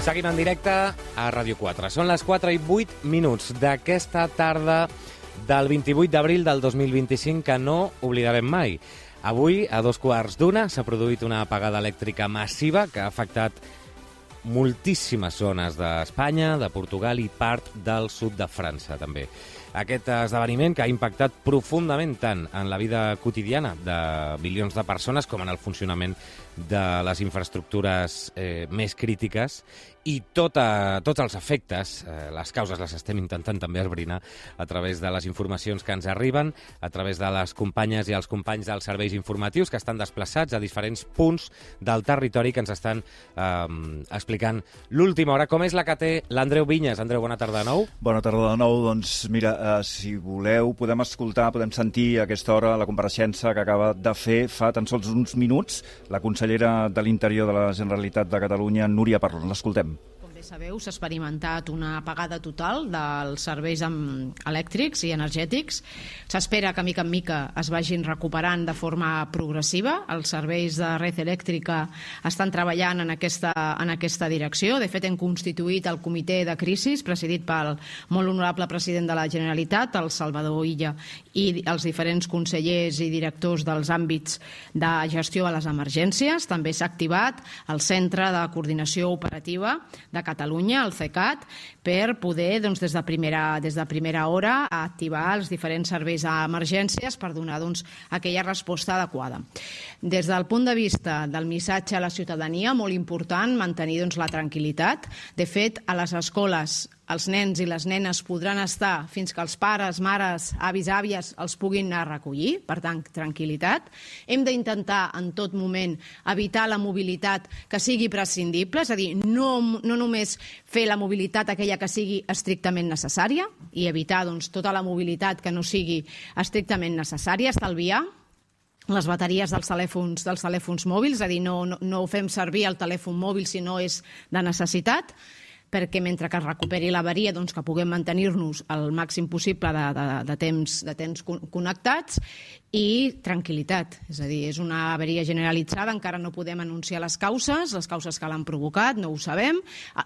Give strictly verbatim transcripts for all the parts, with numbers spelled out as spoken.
Seguim en directe a Ràdio quatre. Són les quatre i vuit minuts d'aquesta tarda del vint-i-vuit d'abril del dos mil vint-i-cinc que no oblidarem mai. Avui, a dos quarts d'una, s'ha produït una apagada elèctrica massiva que ha afectat moltíssimes zones d'Espanya, de Portugal i part del sud de França, també. Aquest esdeveniment que ha impactat profundament tant en la vida quotidiana de milions de persones com en el funcionament de les infraestructures eh, més crítiques i tota, tots els efectes, eh, les causes les estem intentant també esbrinar a través de les informacions que ens arriben, a través de les companyes i els companys dels serveis informatius que estan desplaçats a diferents punts del territori que ens estan eh, explicant l'última hora, com és la que té l'Andreu Vinyes. Andreu, bona tarda de nou. Bona tarda de nou. Doncs mira, eh, si voleu podem escoltar, podem sentir a aquesta hora la compareixença que acaba de fer fa tan sols uns minuts la consellera de l'Interior de la Generalitat de Catalunya, Núria Parlon. L'escoltem. Sabeu, s'ha experimentat una apagada total dels serveis elèctrics i energètics. S'espera que, mica en mica, es vagin recuperant de forma progressiva. Els serveis de red elèctrica estan treballant en aquesta, en aquesta direcció. De fet, hem constituït el comitè de crisi, presidit pel molt honorable president de la Generalitat, el Salvador Illa, i els diferents consellers i directors dels àmbits de gestió a les emergències. També s'ha activat el Centre de Coordinació Operativa de Catalunya, el CECAT, per poder, doncs, des de primera, des de primera hora, activar els diferents serveis d'emergències per donar, doncs, aquella resposta adequada. Des del punt de vista del missatge a la ciutadania, molt important mantenir, doncs, la tranquil·litat. De fet, a les escoles els nens i les nenes podran estar fins que els pares, mares, avis, àvies els puguin anar a recollir, per tant, tranquil·litat. Hem d'intentar en tot moment evitar la mobilitat que sigui prescindible, és a dir, no, no només fer la mobilitat aquella que sigui estrictament necessària i evitar, doncs, tota la mobilitat que no sigui estrictament necessària, estalviar les bateries dels telèfons, dels telèfons mòbils, és a dir, no, no, no fem servir el telèfon mòbil si no és de necessitat, perquè mentre que es recuperi l'averia, doncs, que puguem mantenir-nos el màxim possible de, de, de, temps, de temps connectats, i tranquil·litat. És a dir, és una averia generalitzada, encara no podem anunciar les causes, les causes que l'han provocat, no ho sabem.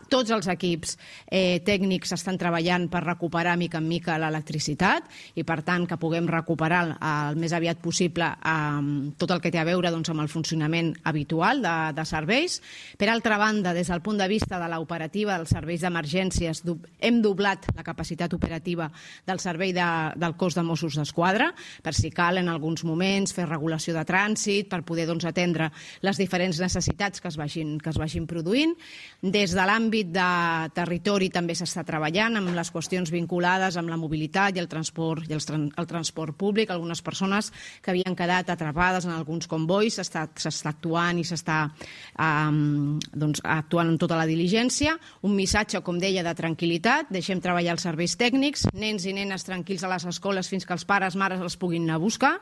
Tots els equips eh, tècnics estan treballant per recuperar mica en mica l'electricitat i, per tant, que puguem recuperar el més aviat possible eh, tot el que té a veure, doncs, amb el funcionament habitual de, de serveis. Per altra banda, des del punt de vista de l'operativa dels serveis d'emergències, hem doblat la capacitat operativa del servei de, del cos de Mossos d'Esquadra, per si cal en alguns moments fer regulació de trànsit, per poder, doncs, atendre les diferents necessitats que es vagin, que es vagin produint. Des de l'àmbit de territori també s'està treballant amb les qüestions vinculades amb la mobilitat i el transport, i el, el transport públic. Algunes persones que havien quedat atrapades en alguns convois s'està actuant i s'està um, doncs, actuant en tota la diligència. Un missatge, com deia, de tranquil·litat. Deixem treballar els serveis tècnics, nens i nenes tranquils a les escoles fins que els pares, mares els puguin anar a buscar,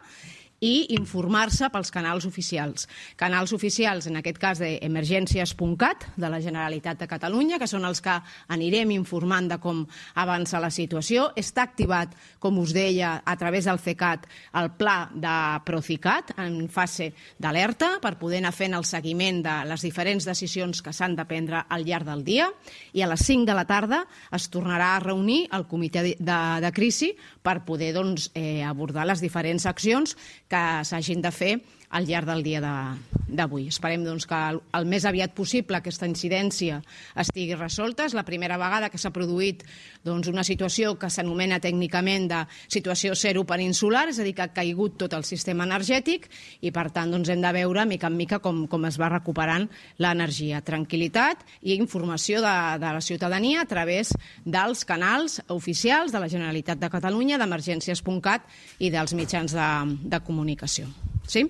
i informar-se pels canals oficials. Canals oficials, en aquest cas, d'emergències punt cat, de la Generalitat de Catalunya, que són els que anirem informant de com avança la situació. Està activat, com us deia, a través del CECAT, el pla de Procicat, en fase d'alerta, per poder anar fent el seguiment de les diferents decisions que s'han de prendre al llarg del dia, i a les cinc de la tarda es tornarà a reunir el comitè de, de, de crisi per poder, doncs, eh, abordar les diferents accions que s'hagin de fer al llarg del dia d'avui. Esperem, doncs, que el, el més aviat possible aquesta incidència estigui resolta. És la primera vegada que s'ha produït, doncs, una situació que s'anomena tècnicament de situació zero peninsular, és a dir, que ha caigut tot el sistema energètic i, per tant, doncs, hem de veure mica en mica com, com es va recuperant l'energia. Tranquil·litat i informació de, de la ciutadania a través dels canals oficials de la Generalitat de Catalunya, d'emergències punt cat i dels mitjans de, de comunicació. Sí?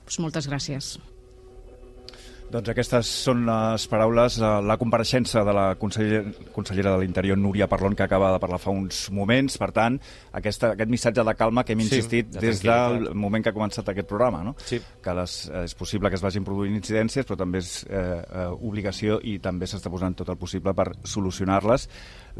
Doncs moltes gràcies. Doncs aquestes són les paraules, la compareixença de la consellera, consellera de l'Interior, Núria Parlon, que acaba de parlar fa uns moments. Per tant, aquesta, aquest missatge de calma que hem insistit sí, de des del moment que ha començat aquest programa, no? Sí. Que les, és possible que es vagin produint incidències, però també és eh, eh, obligació i també s'està posant tot el possible per solucionar-les.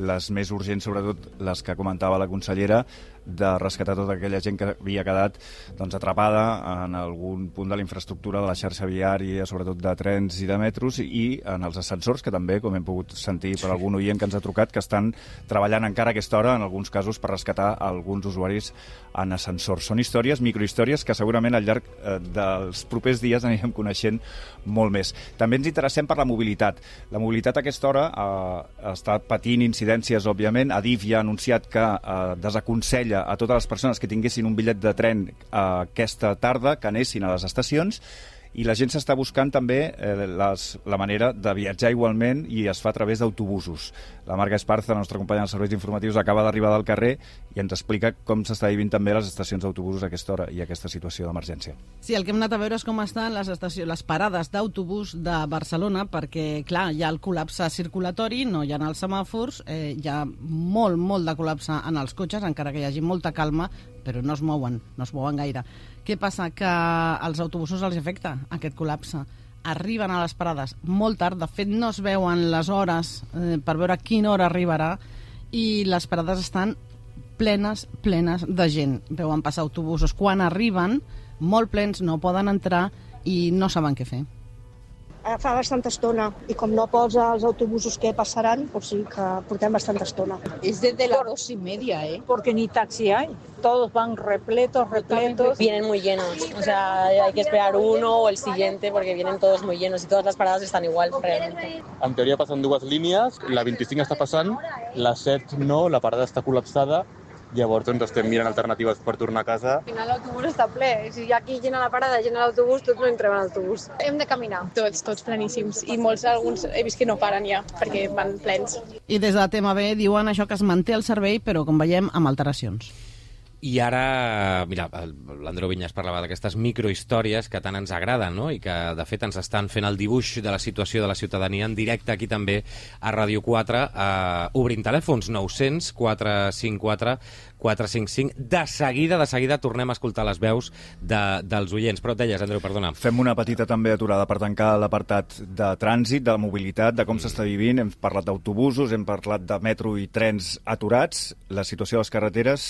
Les més urgents, sobretot les que comentava la consellera, de rescatar tota aquella gent que havia quedat doncs, atrapada en algun punt de la infraestructura de la xarxa viària, sobretot de trens i de metros, i en els ascensors, que també, com hem pogut sentir per algun oient que ens ha trucat, que estan treballant encara a aquesta hora, en alguns casos, per rescatar alguns usuaris en ascensors. Són històries, microhistòries, que segurament al llarg eh, dels propers dies anirem coneixent molt més. També ens interessem per la mobilitat. La mobilitat a aquesta hora eh, està patint incidències, òbviament. Adif ja ha anunciat que eh, desaconsella a totes les persones que tinguessin un bitllet de tren eh, aquesta tarda que anessin a les estacions, i la gent s'està buscant també eh, les, la manera de viatjar igualment, i es fa a través d'autobusos. La Marga Esparza, la nostra companya dels serveis informatius, acaba d'arribar del carrer i ens explica com s'està vivint també les estacions d'autobusos a aquesta hora i a aquesta situació d'emergència. Sí, el que hem anat a veure és com estan les, estacions, les parades d'autobús de Barcelona, perquè, clar, hi ha el col·lapse circulatori, no hi ha els semàfors, eh, hi ha molt, molt de col·lapse en els cotxes, encara que hi hagi molta calma, però no es mouen, no es mouen gaire. Què passa? Que als autobusos els afecta aquest col·lapse. Arriben a les parades molt tard, de fet no es veuen les hores eh, per veure a quina hora arribarà, i les parades estan plenes, plenes de gent. Veuen passar autobusos quan arriben, molt plens, no poden entrar i no saben què fer. Fa bastanta estona, i com no posa els autobusos que passaran, pues sí que portem bastanta estona. Es desde las dos y media, ¿eh? Porque ni taxi hay. Todos van repletos, repletos. Vienen muy llenos, o sea, hay que esperar uno o el siguiente porque vienen todos muy llenos y todas las paradas están igual, realmente. En teoria passen dues línies, la vint-i-cinc està passant, la set no, la parada està col·lapsada. Llavors doncs, estem mirant alternatives per tornar a casa. Al final l'autobús està ple. Si aquí llena la parada, llena l'autobús, tots no entrem a l'autobús. Hem de caminar. Tots, tots pleníssims. I molts, alguns, he vist que no paren ja, perquè van plens. I des de T M B diuen això, que es manté el servei, però, com veiem, amb alteracions. I ara, mira, l'Andreu Vinyes parlava d'aquestes microhistòries que tant ens agraden, no? I que, de fet, ens estan fent el dibuix de la situació de la ciutadania en directe aquí també a Ràdio quatre, eh, obrint telèfons nou zero zero, quatre cinc quatre, quatre cinc cinc. De seguida, de seguida, tornem a escoltar les veus de, dels oients. Però et deies, Andreu, perdona. Fem una petita també aturada per tancar l'apartat de trànsit, de la mobilitat, de com mm. s'està vivint. Hem parlat d'autobusos, hem parlat de metro i trens aturats. La situació a les carreteres,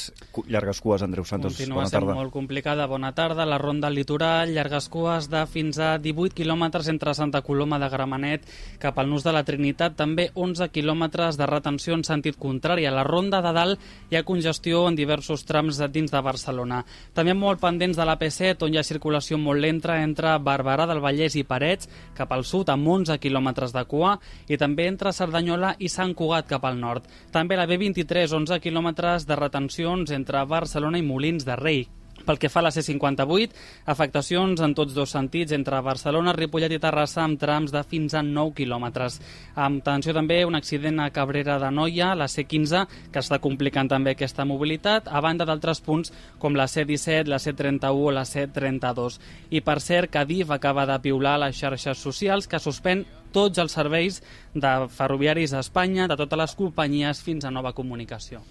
llargues cues, Andreu Santos. Continua bona tarda. sent molt complicada. Bona tarda. La ronda al litoral, llargues cues de fins a divuit quilòmetres entre Santa Coloma de Gramenet cap al Nus de la Trinitat. També onze quilòmetres de retenció en sentit contrari. A la ronda de dalt hi ha congestió en diversos trams dins de Barcelona. També molt pendents de la P set, on hi ha circulació molt lenta entre Barberà del Vallès i Parets cap al sud, amb onze quilòmetres de cua, i també entre Cerdanyola i Sant Cugat cap al nord. També la B vint-i-tres, onze quilòmetres de retencions entre Barcelona i Molins de Rei. Pel que fa a la C cinquanta-vuit, afectacions en tots dos sentits entre Barcelona, Ripollet i Terrassa amb trams de fins a nou quilòmetres. Amb atenció també un accident a Cabrera d'Anoia, la C quinze, que està complicant també aquesta mobilitat, a banda d'altres punts com la C disset, la C trenta-u o la C trenta-dos. I per cert, Adif acaba de piular les xarxes socials, que suspèn tots els serveis de ferroviaris a Espanya, de totes les companyies, fins a nova comunicació.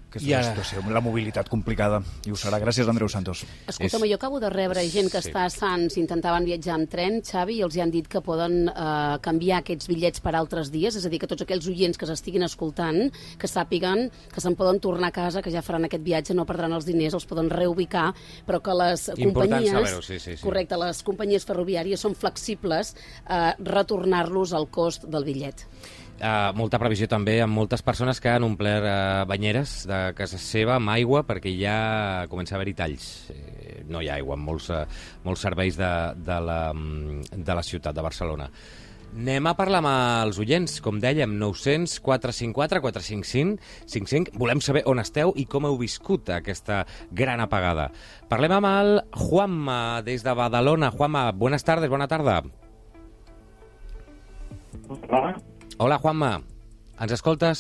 Aquesta ara... situació, la mobilitat complicada, i ho serà. Gràcies, Andreu Santos. Escolta'm, jo acabo de rebre gent que sí. està a Sants, intentaven viatjar amb tren, Xavi, i els hi han dit que poden eh, canviar aquests bitllets per altres dies, és a dir, que tots aquells oients que s'estiguin escoltant, que sàpiguen que se'n poden tornar a casa, que ja faran aquest viatge, no perdran els diners, els poden reubicar, però que les Important companyies... sí, sí, sí. Correcte, les companyies ferroviàries són flexibles a retornar-los al cost del bitllet. Uh, molta previsió també amb moltes persones que han omplert uh, banyeres de casa seva amb aigua perquè ja comença a haver-hi talls. Eh, no hi ha aigua en molts, uh, molts serveis de, de, la, de la ciutat de Barcelona. Anem a parlar amb els oients, com dèiem, nou zero zero, quatre cinc quatre, quatre cinc cinc, cinc cinc. Volem saber on esteu i com heu viscut aquesta gran apagada. Parlem amb el Juanma, des de Badalona. Juanma, buenas tardes, bona tarda. Hola. Hola, Juanma. Ens escoltes?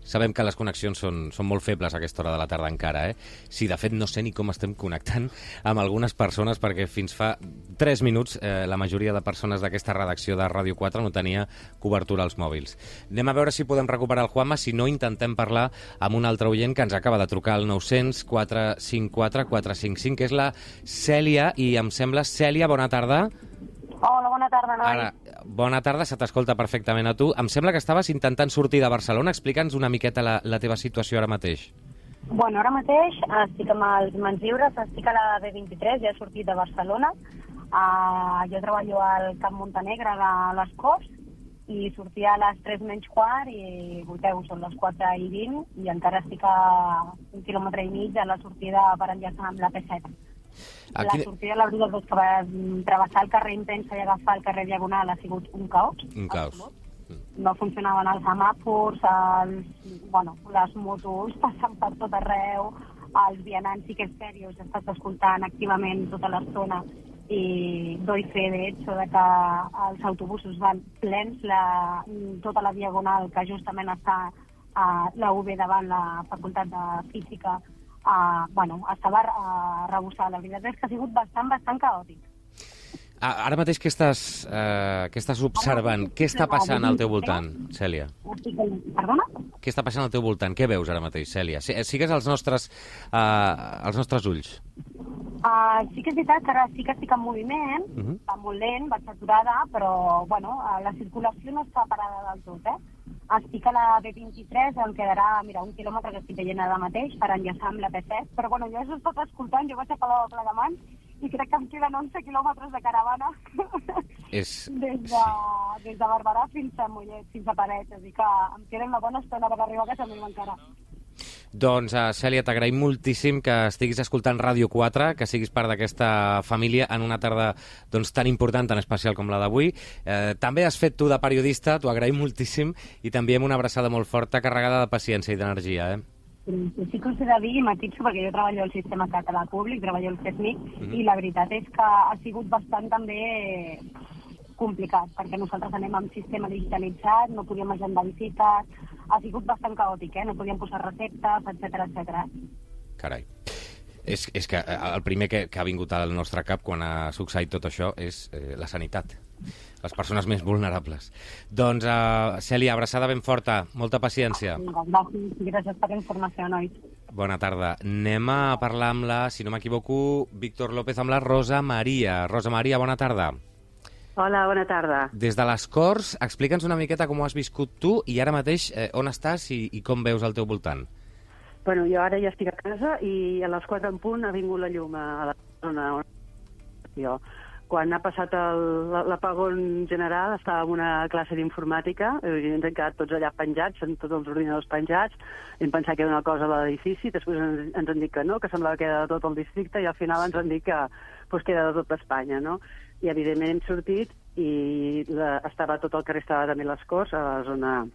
Sabem que les connexions són, són molt febles a aquesta hora de la tarda encara, eh? Sí, de fet, no sé ni com estem connectant amb algunes persones, perquè fins fa tres minuts eh, la majoria de persones d'aquesta redacció de Ràdio quatre no tenia cobertura als mòbils. Anem a veure si podem recuperar el Juanma, si no intentem parlar amb un altre oient que ens acaba de trucar al nou zero zero, quatre cinc quatre, quatre cinc cinc, que és la Cèlia, i em sembla, Cèlia, bona tarda. Hola, bona tarda, noi. Ara, bona tarda, se t'escolta perfectament a tu. Em sembla que estaves intentant sortir de Barcelona. Explica'ns una miqueta la, la teva situació ara mateix. Bueno, ara mateix estic amb els mans lliures, estic a la B vint-i-tres, ja he sortit de Barcelona. Uh, jo treballo al Camp Montenegre de les Corts i sortia a les tres menys quart i, volteu, són les quatre i vint i encara estic a un quilòmetre i mig a la sortida per enllaçar amb la P set. Aquí... La sortida, la veritat, és que va travessar el carrer Intensa i agafar el carrer Diagonal ha sigut un caos. Un caos. No funcionaven els semàfors, els, bueno, les motos passant per tot arreu, els vianants sí que és seriós, he estat escoltant activament tota l'estona i doy fe, de hecho, de que els autobusos van plens, la, tota la Diagonal, que justament està a la U B davant la Facultat de Física, a, bueno, estava a rebossar. La veritat és que ha sigut bastant, bastant caòtic. Ara mateix què estàs, eh, què estàs observant? Què està passant al teu voltant, Cèlia? Perdona? Què està passant al teu voltant? Què veus ara mateix, Cèlia? Sigues els nostres, eh, els nostres ulls. Uh, sí que és veritat que ara sí que estic en moviment, uh -huh. va molt lent, vaig aturada, però bueno, la circulació no està parada del tot, eh? Estic a la B vint-i-tres, em quedarà, mira, un quilòmetre que estic veient ara mateix per enllaçar amb la P set, però bueno, jo he estat escoltant, jo vaig a Palau de Plegamans i crec que em queden onze quilòmetres de caravana és... des, de, des de Barberà fins a Mollet, fins a Parets, és a dir que em queden una bona estona per arribar a casa meva encara. Doncs, uh, Cèlia, t'agraïm moltíssim que estiguis escoltant Ràdio quatre, que siguis part d'aquesta família en una tarda doncs, tan important, tan especial com la d'avui. Eh, també has fet tu de periodista, t'ho agraïm moltíssim, i també amb una abraçada molt forta, carregada de paciència i d'energia, eh? Sí que us he de dir, i matixo, perquè jo treballo al sistema català públic, treballo al CESMIC, mm-hmm. i la veritat és que ha sigut bastant també complicat, perquè nosaltres anem amb sistema digitalitzat, no podíem agendar visites, ha sigut bastant caòtic, eh? No podíem posar receptes, etcètera, etcètera. Carai. És, és que el primer que, que ha vingut al nostre cap quan ha succeït tot això és eh, la sanitat, les persones més vulnerables. Doncs, uh, Cèlia, abraçada ben forta, molta paciència. Gràcies, gràcies per la informació, nois. Bona tarda. Anem a parlar amb la, si no m'equivoco, Víctor López, amb la Rosa Maria. Rosa Maria, bona tarda. Hola, bona tarda. Des de les Corts, explica'ns una miqueta com ho has viscut tu i ara mateix eh, on estàs i, i com veus al teu voltant. Bueno, jo ara ja estic a casa i a les quatre en punt ha vingut la llum a la zona on jo. Quan ha passat l'apagón general estava en una classe d'informàtica, ens hem quedat tots allà penjats, amb tots els ordinadors penjats, hem pensat que era una cosa a l'edifici, després ens, ens han dit que no, que semblava que era de tot el districte, i al final ens han dit que, pues, que era de tot Espanya, no? I evidentment hem sortit i la, estava tot el carrer, estava també les Corts, a la zona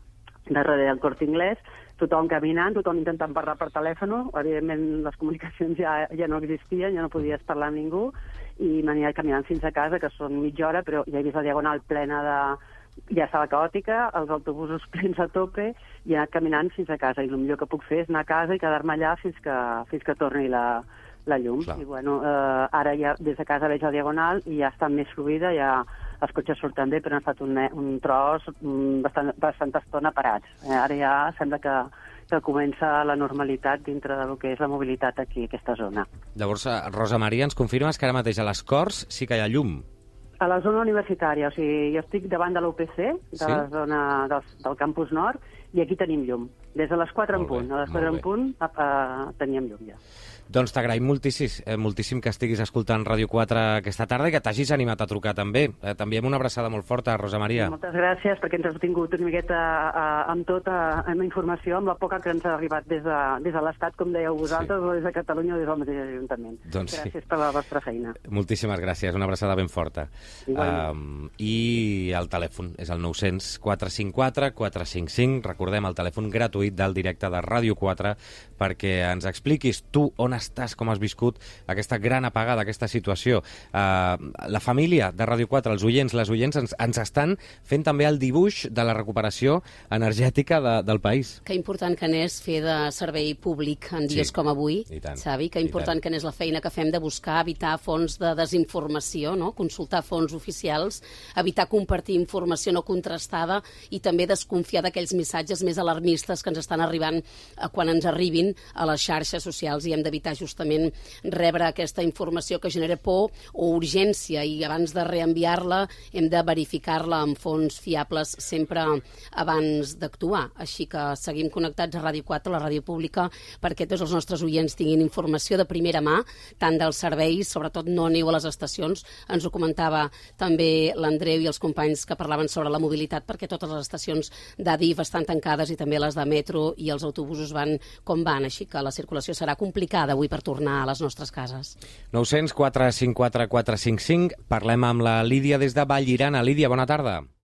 darrere del Corte Inglés, tothom caminant, tothom intentant parlar per telèfon, evidentment les comunicacions ja, ja no existien, ja no podies parlar amb ningú, i m'aniré caminant fins a casa, que són mitja hora, però ja he vist la Diagonal plena de... ja estava caòtica, els autobusos plens a tope, i he anat caminant fins a casa, i el millor que puc fer és anar a casa i quedar-me allà fins que, fins que torni la, la llum. Clar. I bueno, eh, ara ja des de casa veig la Diagonal i ja està més fluida, ja els cotxes surten bé, però han estat un, un tros bastant, bastanta estona parats. Eh, ara ja sembla que, que comença la normalitat dintre del que és la mobilitat aquí, aquesta zona. Llavors, Rosa Maria, ens confirmes que ara mateix a les Corts sí que hi ha llum? A la zona universitària, o sigui, jo estic davant de l'U P C, de sí? la zona del, del campus nord, i aquí tenim llum. Des de les quatre en punt, a les quatre en punt a, a, teníem llum ja. Doncs t'agraïm moltíssim, eh, moltíssim que estiguis escoltant Ràdio quatre aquesta tarda i que t'hagis animat a trucar també. Eh, també amb una abraçada molt forta, Rosa Maria. Moltes gràcies, perquè ens has tingut una miqueta eh, amb tota amb informació, amb la poca que ens ha arribat des de, des de l'Estat, com dèieu vosaltres, sí. o des de Catalunya o des del mateix Ajuntament. Doncs gràcies sí. per la vostra feina. Moltíssimes gràcies, una abraçada ben forta. Um, I el telèfon és el nou cents, quatre cinc quatre, quatre cinc cinc. Recordem el telèfon gratuït del directe de Ràdio quatre perquè ens expliquis tu on estàs, com has viscut aquesta gran apagada, aquesta situació. Uh, la família de Ràdio quatre, els oients, les oients, ens, ens estan fent també el dibuix de la recuperació energètica de, del país. Que important que n'és fer de servei públic en dies sí. com avui, Xavi, que important que n'és la feina que fem de buscar, evitar fonts de desinformació, no? Consultar fonts oficials, evitar compartir informació no contrastada i també desconfiar d'aquells missatges més alarmistes que ens estan arribant eh, quan ens arribin a les xarxes socials, i hem d'evitar evitar justament rebre aquesta informació que genera por o urgència, i abans de reenviar-la hem de verificar-la amb fonts fiables sempre abans d'actuar. Així que seguim connectats a Ràdio quatre, la ràdio pública, perquè tots els nostres oients tinguin informació de primera mà, tant dels serveis, sobretot no aneu a les estacions. Ens ho comentava també l'Andreu i els companys que parlaven sobre la mobilitat, perquè totes les estacions d'Adif estan tancades i també les de metro, i els autobusos van com van, així que la circulació serà complicada avui per tornar a les nostres cases. nou zero quatre cinc quatre quatre cinc cinc. Parlem amb la Lídia des de Vallirana. Lídia, bona tarda.